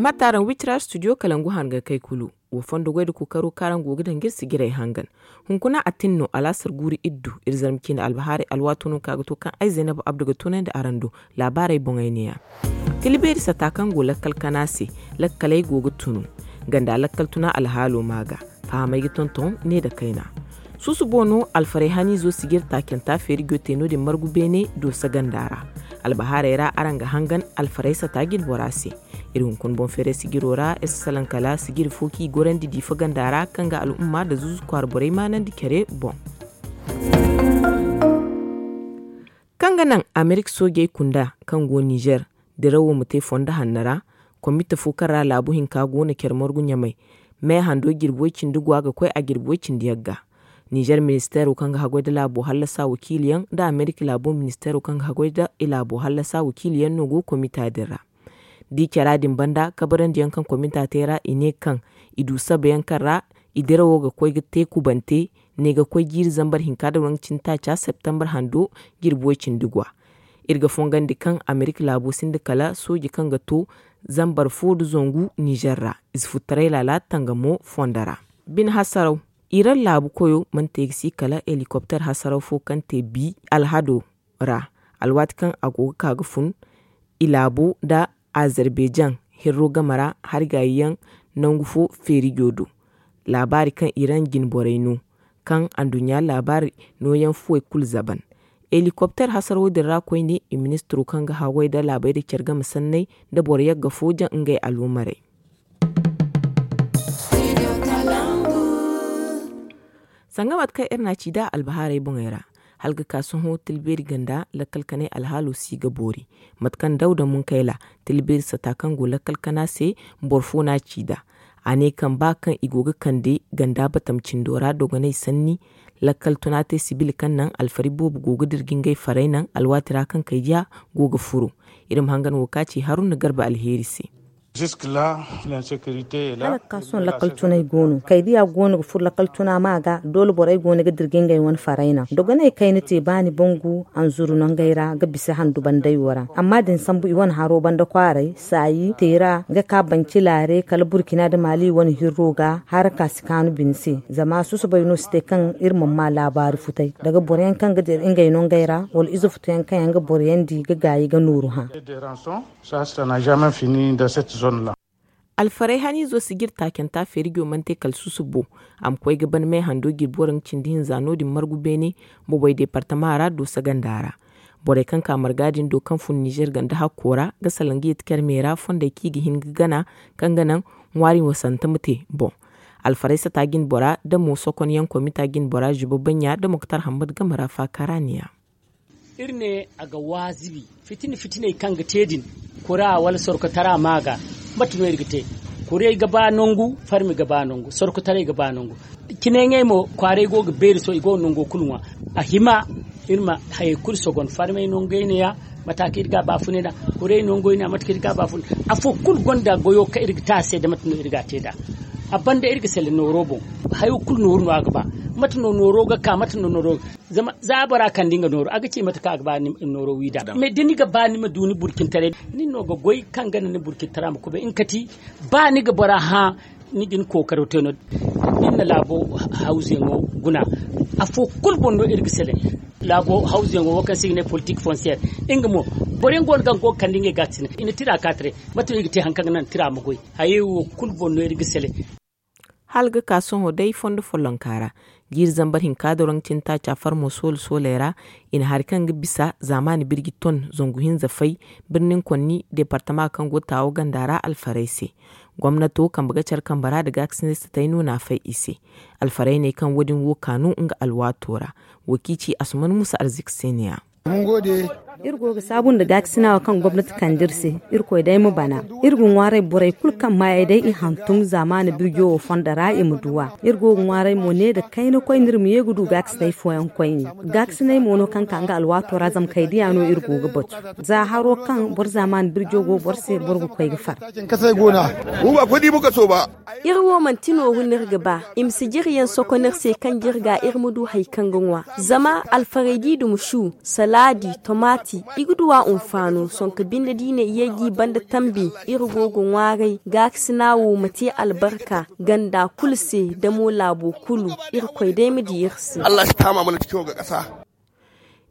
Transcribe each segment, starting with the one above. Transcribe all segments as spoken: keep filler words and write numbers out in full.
Matta araŋ witira studio kalangu hangan kay kulu. Wo fondo goy da kookaro kaŋ araŋ go ga daŋ ga iri sijirey hangan. Hunkuna a tin no alaasar guuru iddu iri zarma ciine albahaarey alwaato no kaŋ a ga to kaŋ ay zaynabu abdu ga tunandi araŋ do. Laabaarey boŋey neeya. Tila beeri sata kaŋ go lakkal kana se. Lakkaley go ga tunu. Ganda lakkal tuna alhaalo ma ga fahamey ga tonton ne nda kayna. Susubo no alfarey haniizo sijir taacanta feerijo te no- din margu beene doosa ganda ra. Albahaarey ra araŋ ga hangan alfarey sata jine bora se. Iri hunkuna boŋ feeray sijiro ra iri si salaŋ kala sijiri fo kaŋ i gorandi diifa ganda ra kaŋ ga al'umma nda zuuzu kwaara borey maanandi care boŋ. Kaŋ ga naŋ amerika soojey kunda kaŋ go nizer dirawo ma te fondo hanno ra. Komite fo kaŋ ra laabu hinka go no care margu ɲamay. Me hando jirbi way cindi go a ga koy a jirbi way cindi yagga. Nizer ministeero kaŋ ga haggoy nda laabo hallasa wakiili yaŋ nda amerika laabo ministeero kaŋ ga haggoy nda i laabo hallasa wakiili yaŋ no go komita din ra. Da i cara din banda kabarandi yaŋ kaŋ komita te ra i ne kaŋ i du sabayaŋ kaŋ ra i dirawo ga koy ga te kubante ne ga koy jiiri zambar hinka nda waranka cindi taaca septembar hando jirbi way cindi gwa. Iri ga fongandi kaŋ amerika laabo sinda kala sooji kaŋ ga to zambar fo nda zangu nizer ra. Ize futtaray laala tangamo fondo ra. Bine hasaraw iran laabu koyo mana te ga si kala helikopter hasaraw fo kaŋ te bi alhado ra alwaati kaŋ a go ga ka ga fun i laabo nda azarbejan hirro game ra hari gaayi yaŋ nangu fo feerijo do. Laabaari kaŋ iran jine borey no kaŋ anduɲɲa laabaari nooyaŋ fuwey kulu zaban. Helikopter hasaraw din ra koyne i ministiro kaŋ ga haggoy nda laabey nda care game sanney nda boro yagga fo jaŋ ngey aloomarey. Sanga mate kaŋ iri na a ci nd'a albahaarey boŋey ra hala ga ka sohõ tilbeeri ganda lakkal kanay alhaalo si ga boori. Mate kaŋ dawda munkayla tilbeeri sata kaŋ go lakkal kana se boro fo no a ci nd'a. A ne kaŋ ba kaŋ i go ga kande ganda batam cindo ra dogonay sanni lakkal tuna te sibil kaŋ naŋ alfari boobo go ga dira ga ngey farey naŋ alwaati ra kaŋ kay diya go ga furo. Iri ma hangan wo ka ci haruna garba alheeri se. Hala ga ka sohõ lakkal tunay go no kay diya go no ga furo lakkal tuna ma ga doole borey go no ga dira ga ngey wane farey naŋ dogoney kayna te ba ni bangu anzuru nangey ra ga bisa handu bandey wo ra. Amma da ni sambu i wane haro banda kwaaray saayi teera ga ka banci laare kala burkina nda maali wane hirro ga haraka si kaanu bine se. Zama susubay no si te kaŋ iri mana ma laabaari futay daga boro yaŋ kaŋ ga dira ngey nangey ra wala ize futo yaŋ kaŋ yaŋ ga boro yaŋ di ga gaayi ga nooru hã. Alfarey haniizo sijir taacanta feerijo mana te kala susubo. A ma koy ga ban me hando jirbi waranka cindi hinza no- din margu beene bobey deepartama ra doosa ganda ra. Borey kaŋ ka marga din do kaŋ fun nizer ganda hakko ra ga salaŋ ga yeeti care me ra fondey kaŋ i ga hin ga gana kaŋ ga naŋ ŋwaari wasante ma te boŋ. Alfarey sata jine bora nda mo sokon yaŋ komita jine bora zuba baɲɲa nda moktar hammad game ra faakara neeya. Iri ne a ga waazibi fitina fitiney kaŋ ga te din kura wala sorkotara ma ga mate no iri ga te? Kurey ga ba nangu farmi ga ba nangu sorkotaray ga ba nangu. Cinayŋey mo kwaaray go ga beeri sohõ i go ga nango kulu ŋwa. A hima iri ma hayey kulu sogon farmey nangey neeya mate kaŋ iri ga a baafunay nd'a. Kurey nangey neeya mate kaŋ iri ga a baafunay afo kulu gonda goyo kaŋ iri ga te a se nda mate no iri ga a te nd'a. A banda iri ga sele nooro boŋ. Hayo kulu nooru no a ga ba. Mate no nooro ga ka mate no nooro ga zama za bora kande nga nooru a ga ci mate kaŋ a ga ba nooro wi nd'a. Mais da ni ga ba ni ma du ni burcintaray nin no ga goy kaŋ ga naŋ ni burcintara ma kubay nga kati. Ba ni ga bora hã ni ga ni kookaro te no da ni na laabo hawzuyaŋo guna. Afo kulu boŋ no iri ga sele laabo hawzuyaŋo wo kaŋ se i ga ne politik fonsiyeer. Nga mo boro yaŋ go no kaŋ go ga kande ngey gaakasinay i na tira ka taray. Mate no i ga te hari kaŋ ga naŋ tira ma goy. Hayey wo kulu boŋ no iri ga sele. Hala ga ka sohõ day fondo follonka ra jiiri zambar hinka doroŋ cintaaca farmo soole sooley ra. I na hari kaŋ ga bisa zaamaani birji ton zangu hinza fay birnin konni deepartama kaŋ go taawo ganda ra alfarey se. Gomnato kambe ga care kambe ra nda gaakasinay satay no n'a fay i se. Alfarey ne kaŋ wo- din wo kaanu nga alwaato ra. Wo kaŋ i ci asuman musa arziki se neeya. Iri go ga saabu nda gaakasina wo kaŋ gomnati kande iri se. Irkoy day ma bana. Iri ga ŋwaaray borey kulu kaŋ maayey day i hantum zaamaani birjo wo fondo ra i ma du a. Iri go ga ŋwaaray mo ne nda kayna koyne iri ma ye ga du gaakasinay fooyaŋ koyne. Gaakasinay mo no kaŋ ka nga alwaato ra zama kay diya no iri go ga batu. Za haro kaŋ boro zaamaani birjo go boro se boro ga koy ga far. Iri wo manti nooru no iri ga ba. I ma sijiriyaŋ sokon iri se kaŋ jirga iri ma du hari kaŋ ga ŋwa. Zama alfarey da i duma su salaadi, tomaati, I ga duw'a unfaano sonka binde da i ne i yay ga i banda tambi. Iri go ga ŋwaaray gaakasina wo ma te albarka ganda kulu se da mo laabo kulu. Iri koy day ma di iri se. Allah si taama mana cikin ga kasa.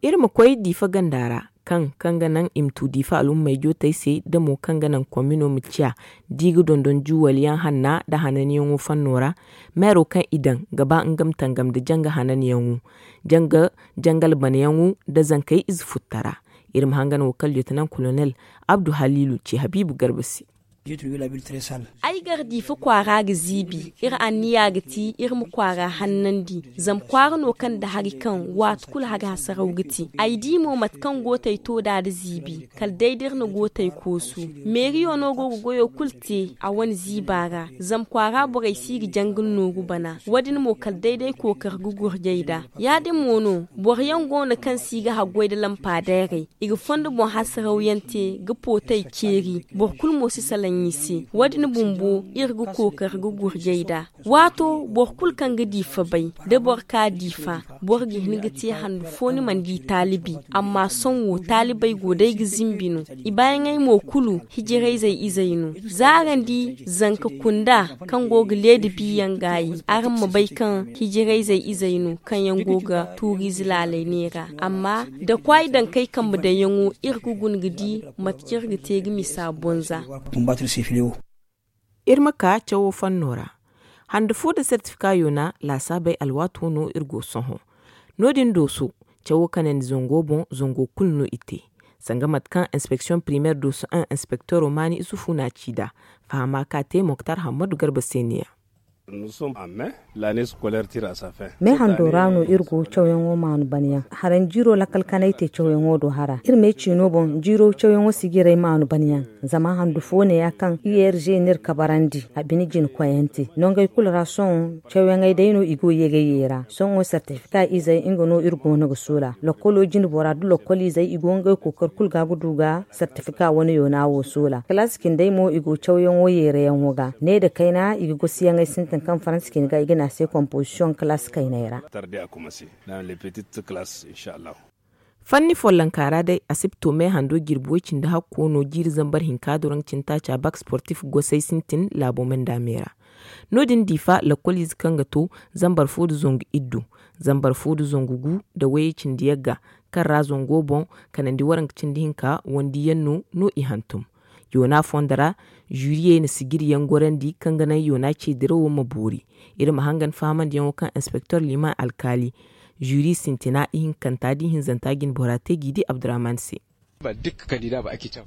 Iri ma koy diifa ganda ra kaŋ kaŋ ga naŋ i ma tu diifa al'ummey jootey se da mo kaŋ ga naŋ komino ma ciya da i ga dondon juwaliyaŋ hanna nda hananyaŋo fanno ra. Meero kaŋ i daŋ ga ba nga ma tangam nda janga hananyaŋo janga jangal banayaŋo nda zankey ize futtara. Iri ma hangan wo kala lieutenant colonel abdu haliilu ci habiibu garba se. Ay gar diifa kwaara ga ziibi iri anniya ga ti iri ma kwaara hannandi. Zama kwaara no kaŋ nda hari kaŋ waati kulu hari hasaraw ga ti ay di mo mate kaŋ gootey to nd'a da ziibi kala day da iri na gootey koosu. Meeriyo no go ga goyo kulu te a wane ziiba ra. Zama kwaara borey si ga janga nooru bana wo- din mo kala day da ay kookari ga gurjay nd'a. Ya- din mo no boro yaŋ go no kaŋ si ga haggoy nda lampa dayray. I ga fondo boŋ hasaraw yaŋ te ga pootey ceeri. Boro kulu mo si salaŋ i se. Wo- din bumbo iri ga kookari ga gurjay nd'a. Waato boro kulu kaŋ ga di fabay da boro ka di fa boro ga hin ga te handu fo ni mana di taalibi. Amma sohõ wo taalibey go day ga zimbi no. I baayaŋey mo kulu hijirayzey izey no. Za araŋ di zanka kunda kaŋ go ga leedi biyaŋ gaayi araŋ ma bay kaŋ hijirayzey izey no kaŋ yaŋ go ga tuuriize laalay neera. Amma da kwaay daŋ kay kambe daŋyaŋo iri ga guna ga di mate kaŋ iri ga te ga misa bonza. Iri ma kaa cawo fanno ra. Hande fo nda sertifika yoona laasaabey alwaato no iri go sohõ. No- din dooso cawo kanandi zango boŋ zango kulu no i te. Sanga mate kaŋ inspeksiyoŋ primeer dooso un inspekteero maani isufu n'a ci nd'a. Fahama ka te moktar hammadu garba se ne-ya. Me hando ra no iri go cawyaŋo maanu banyaŋ haran jiiro lakkal kanay te cawyaŋo do hara iri me ciino boŋ jiiro cawyaŋo sijiray maanu banyaŋ. Zama handu fo ne ya kaŋ i yerze n'iri kabarandi a bine jina koyante nongey kulu ra sohõ. Cawyaŋey day no i go yeegay yeera sohõ sertifika izey nga no iri go no ga soola lokkolo jine bora da lokkol izey i go ngey kookari kulu ga ga du ga sertifika wane yoona wo soola kalaasi cindey mo i go cawyaŋo yeerayaŋo ga ne nda kayna i ga gosiyaŋey sintin kaŋ faransa cine ga i ga ne a se komposisiyoŋ kalaasi kayney ra. Fanni follonka ra day asipto me hando jirbi way cindi hakko no jiiri zambar hinka doroŋ cintaaca bak sportif gosay sintin laabo manda me ra. No- din diifa lakkoliize kaŋ ga to zambar fo nda zangu iddu, zambar fo nda zangu gu nda wayey cindi yagga, kaŋ ra zango boŋ kanandi waranka cindi hinka wandiyaŋ no no i hantum. Yoona fondo ra zuriyey na sijiriyaŋ gorandi kaŋ ga naŋ yoona ce dirawo ma boori. Iri ma hangan fahamandiyaŋo kaŋ inspektor liman alkaali zuri sintina ihinkanta da ihinzanta jinbora te g'i di abdurrahman se.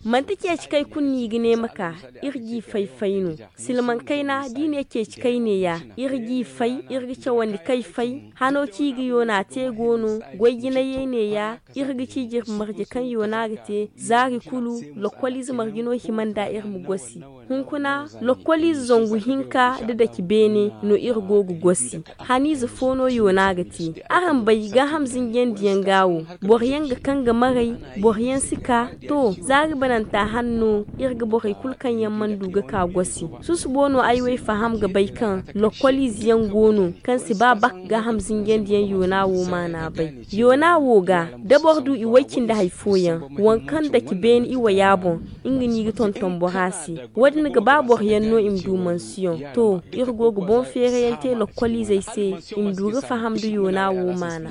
Manti ceeci kay kulu no i ga ne ma ka. Iri g'i fay fay no. Silmaŋ kayna da i ne ceeci kay neeya. Iri g'i fay iri ga cawandi kay fay. Hano ci i ga yoona te go no. Goy jinayey neeya. Iri ga ci jirbi marje kaŋ yoona ga te zaari kulu. Lokkoliize marje no hima nda iri ma gosi. Hunkuna lokkoliize zangu hinka nda dake beene no iri go ga gosi. Haniize fo no yoona ga te. Araŋ bay gaaham zinjandiyaŋ ga wo. Boro yaŋ ga kaŋ ga maray. Boro yaŋ si ka. To zaari bananta hanno iri ga borey kulu kaŋ yaŋ mana du ga ka gosi. Susubo no ay way faham ga bay kaŋ lokkoliize yaŋ go no kaŋ si ba bak gaaham zinjandiyaŋ yoona wo maana bay. Yoona wo ga da boro du i way cindi hari fooyaŋ waŋ kaŋ dake beene i waya boŋ. Nga no i ga tonton bora se. Wo- din ga ba boro yaŋ no i ma du mansiyoŋ. To iri go ga boŋ feerayaŋ te lokkoliizey se i ma du ga faham nda yoona wo maana.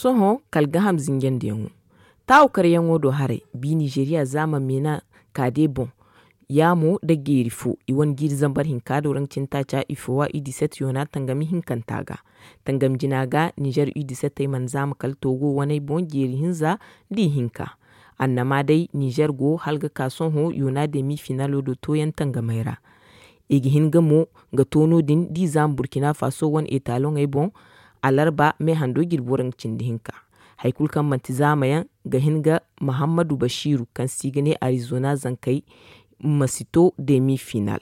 Sohõ kala gaaham zinjandiyaŋo taawu karyaŋo do haray bi nizeriya zaama meena kaade boŋ. Yaamo nda geeri fo i wane jiiri zambar hinka do raŋ cintaaca i foowa i diset yoona tangami hinkanta ga. Tangami jina ga nizer i disetey mana zaama kala toogo waney boŋ jeeri hinza nda i hinka. Annama day nizer go hala ga ka sohõ yoona demi finalo do tooyaŋ tangamey ra. I ga hin ga mo ga to no- din d'i zaama burkina faso wane etaloŋey boŋ. Alarba me hando jirbi waranka cindi hinka. Hari kulu kaŋ manti zaamayaŋ ga hin ga mahammadu basiiru kaŋ se i ga ne arizona zankey ma si to demi final.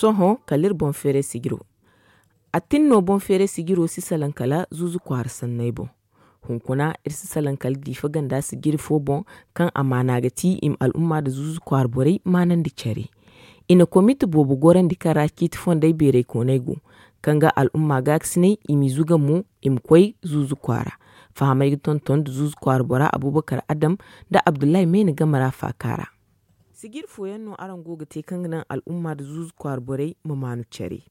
Sohõ kala iri boŋ feeray sijiro. A tin no boŋ feeray sijiro si salaŋ kala zuuzu kwaara sanney boŋ. Hunkuna iri si salaŋ kala diifa ganda sijiri fo boŋ, kaŋ a maana ga ti i ma al'umma nda zuuzu kwaara borey maanandi care. I na komite boobo gorandi kaŋ ra ciiti fondey beeraykooney go, kaŋ ga al'umma gaakasinay i m'i zuga mo, i ma koy zuuzu kwaara. Fahamey ga tonton nda zuuzu kwaara bora abubakar adam nda abdullahi mayna game ra faaka ra. Sijiri fooyaŋ no araŋ go ga te kaŋ ga naŋ al'umma nda zuuzu kwaara borey ma maanu care.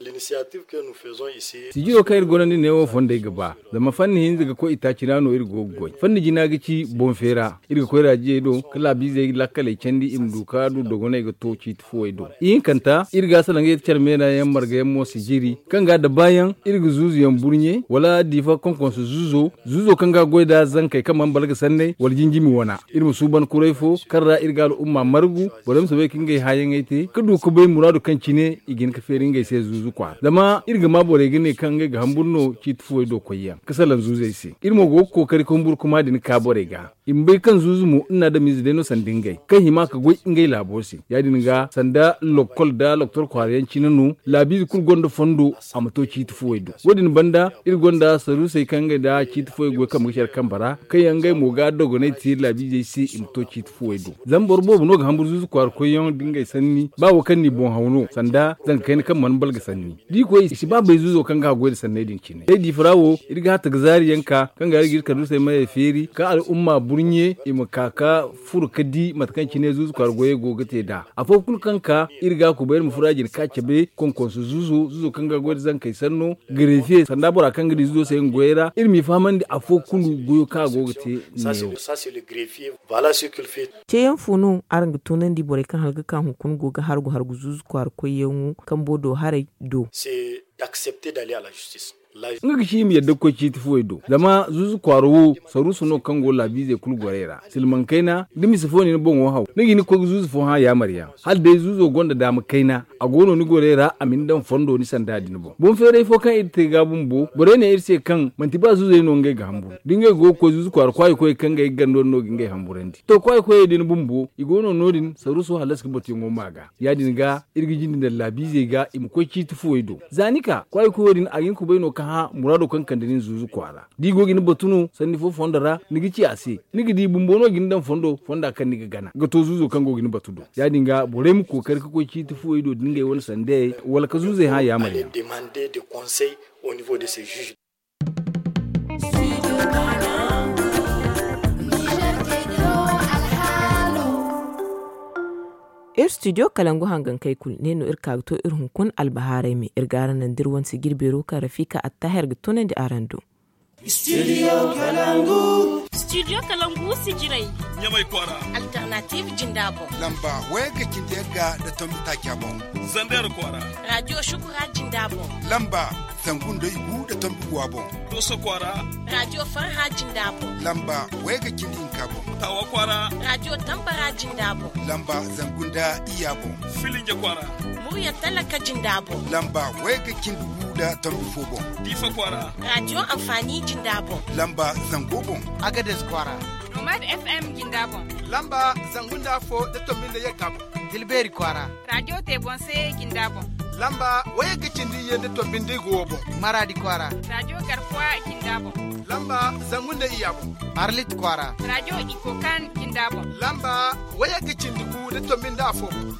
Sijiro kaŋ iri gonda neewo fondey ga ba, zama fanni hinza ga koy itaaci ra no iri go ga goy. Fanni jina ga ci boŋ feera. Iri ga koy raajiyey do ka laabiizey lakkaley candi i ma du ka du dogoney ga to ciiti fuwey do. Ihinkanta iri ga salaŋ ga yeti care meena yaŋ marga yaŋ mo sijiri, kaŋ ga da baayaŋ iri ga zuuzu yaŋ burɲe wala diifa konkonso zuuzo. Zuuzo kaŋ ga goy nda zankey kaŋ mana balga sanney wala jinjimi wana, iri ma suuban kuray fo kaŋ ra iri ga al'umma margu. Borey ma soobay ka ngey haayaŋey te ka du ka bay muraadu kaŋ cine i ga hin ka feeri ngey se zuuzu kwaara. Zama iri ga maa borey ga ne kaŋ ngey ga hamburu no ciiti fuwey do koyyaŋ ka salaŋ zuuzey se. Iri mo go ga kookari ka humburu kuma din ka borey ga. I ma bay kaŋ zuuzu mo nna adamize day no sanda ngey kaŋ hima ka goy ngey laabo se. Ya- din ga sanda lokkol nda loktor kwaara yaŋ cine no. Laabiize kulu gonda fondo a ma to ciiti fuwey do. Wo- din banda iri gonda saruusey kaŋ ngey nda ciiti fuwey goy kambe ga care kambe ra kaŋ yaŋ ngey mo ga dogonay te laabiizey se i ma to ciiti fuwey do. Zama boro boobo no ga hamburu zuuzu kwaara koyyaŋ nda ngey sanni ba wo kaŋ n'i boŋ haw no sanda zanka kayna kaŋ mana balga sanni. Da i koy i si ba bay zuuzo kaŋ ga a goy nda sanney din cine day diifa ra wo. Iri ga hatta ga zaari yaŋ ka kaŋ ga iri ga iri kaduusey mayey feeri ka al'umma burɲe i ma ka ka furo ka di mate kaŋ cine zuuzu kwaara goyey go ga te nd'a. Afo kulu kaŋ ka iri ga a kubay iri ma furo a jina ka cabe konkonso zuuzo zuuzo kaŋ ga a goy nda zankey sanno. Gareefiye sanda bora kaŋ ga di zuuzo se nga goyey ra iri m'i fahamandi afo kulu goyo kaŋ a go ga te neewo. Ceeyaŋ fo no araŋ ga toonandi borey kaŋ hala ga ka hunkuna go ga hargu hargu zuuzu kwaara koyyaŋo kambo do haray do? Nga ga ci i ma yadda ga koy ciiti fuwey do zama zuuzu kwaara wo saruusu no kaŋ go laabiizey kulu gorey ra. Silmaŋ kayna da mise fo no ni boŋo haw ni ga hin ga koy ga zuuzu fo hã yaamar yaŋ. Hala day zuuzo gonda daama kayna a go no ni gorey ra a ma ni daŋ fondo ni sanda din boŋ boŋ feeray fo kaŋ iri te ga bumbo borey ne iri se kaŋ manti ba zuuzey no ngey ga hamburu da ngey go ga koy zuuzu kwaara kwaayi koyey kaŋ ngey ga gando din no ga ngey hamburandi. To kwaayi koyey din bumbo i go no no- din saruuso hallasi ga batuyaŋo ma ga. Ya- din ga iri ga jinde daŋ laabiizey ga i ma koy ciiti fuwey do za ni ka kwaayi koyo din a ga hin ga kubay no ka hã muraado kaŋ kande nin zuuzu kwaara. Da i go ga ni batu no sanni fo fondo ra ni ga ci a se ni ga di bumbo no ga ni daŋ fondo fonda kaŋ ni ga gana ga to zuuzo kaŋ go ga ni batu do. Ya- din ga borey ma kookari ga koy ciiti fuwey do da ngey wane sandayey wala ga zuuzey hã yaamar yaŋ. Iri studio kalangu hangankey kulu ne no iri ka ga to iri hunkuna albahaaray me iri ga araŋ naŋ da iri wane sijiri beero kaŋ rafika attahir ga tunandi araŋ do. Studio kalangu sijirey ɲamay kwaara. Alternative jinda boŋ lamba wayga cindi yagga nda tombi taaca boŋ. Zander kwaara. Radio shukura jinda boŋ lamba zangu nda igu nda tombi guwa boŋ. Doso kwaara. Radio farha jinda boŋ lamba wayga cindi hinka boŋ. Tawa kwaara. Radio tambara jinda boŋ lamba zangu nda iya boŋ. Filinja kwaara. Murya talaka jinda boŋ lamba wayga cindi gu nda tombi fo boŋ. Diifa kwaara. Radio amfani jinda boŋ lamba zango boŋ. Agades kwaara. Nomad fm jinda boŋ lamba zangu nda afo nda tombi nda yagga boŋ. Tilbeeri kwaara. Radio te boŋ se jinda boŋ lamba wayagga cindi iyye nda tombi nda igu wo boŋ. Maraadi kwaara. Radio garkuwa jinda boŋ lamba zangu nda iya boŋ. Arlit kwaara. Radio ikokan jinda boŋ lamba wayagga cindi gu nda tombi nda afo boŋ.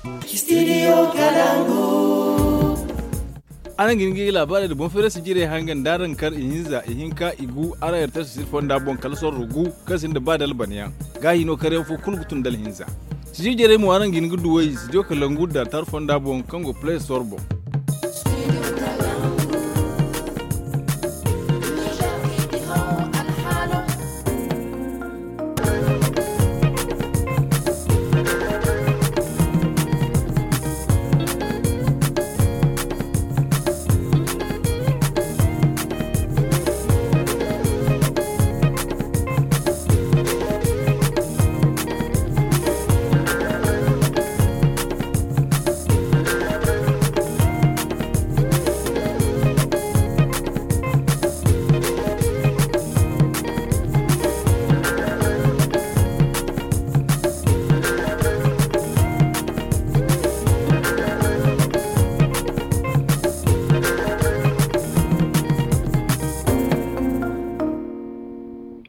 Araŋ ga hin ga i laabaarey nda boŋ feerasi jirey hanga nda araŋ kar ihinza ihinka igu araŋ yartar sisir fonda boŋ kala sorro gu kaŋ sinda ba dalbanyaŋ. Gaahi no karyaŋ fo kulu ga tun dalhinza. Sijir jirey mo araŋ ga hin ga duw'ey sidiyo kalangu dartar fonda boŋ kaŋ go play store boŋ.